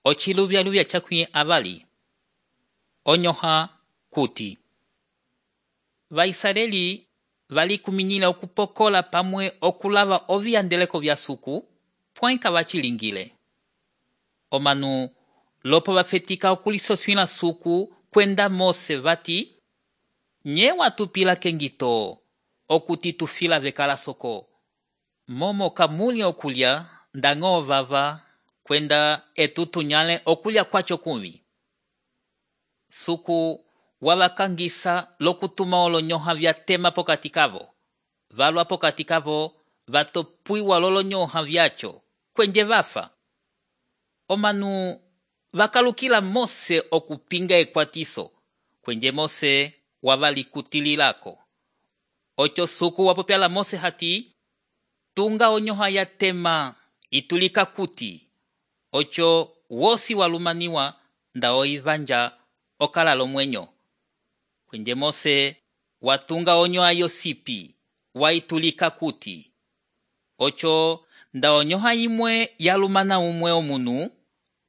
ociluvyaluvya cakwi avali. Onyoha kuti Vaisraeli valikuminila okupokola pamwe okulava oviyandeleko vya suku, pwainka vacilingile. Omanu lopo vafetika okulisoswila suku kwenda Mose vati, nye watupila kengito okuti tufila vekala soko. Momo kamuli okulya ndango vava kwenda etutunyale okulya kwacho kumvi. Suku wavakangisa lokutuma olonyoha vyatema pokati kavo. Valwa pokati kavo vatopwiwa lolonyoha vyacho kwenje vafa. Omanu vakalukila Mose okupinga ekwatiso kwenje Mose wavalikutililako. Ocho suku wapopyala Mose hati, tunga onyoha yatema itulika kuti. Ocho wosi walumaniwa nda oivanja okalalo mwenyo. Kwenje Mose watunga onyoha yosipi waitulika kuti. Ocho nda onyoha imwe yalumana umwe omunu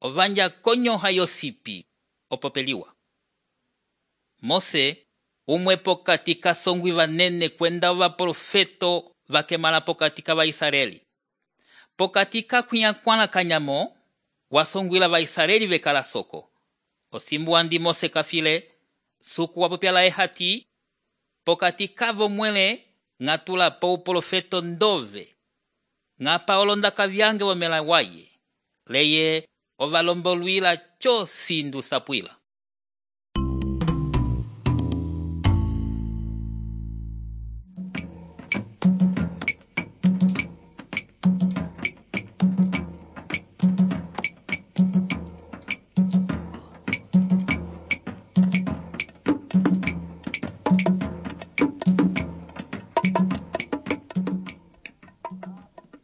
ovanja konyoha yosipi opopeliwa. Mose umwe pokati kasongwi vanene kwenda vaprofeto vakemala pokati ka Vaisraeli. Pokati kakwiakwana kanyamo wasongwila Vaisraeli vekala soko. Osimbu andi Mose kafile, suku wapopyala ehati, pokati kavo mwele ngatula po uprofeto ndove. Ngapa olondaka vyange wamela waye, leye ovalombolwila cho sindu sapwila.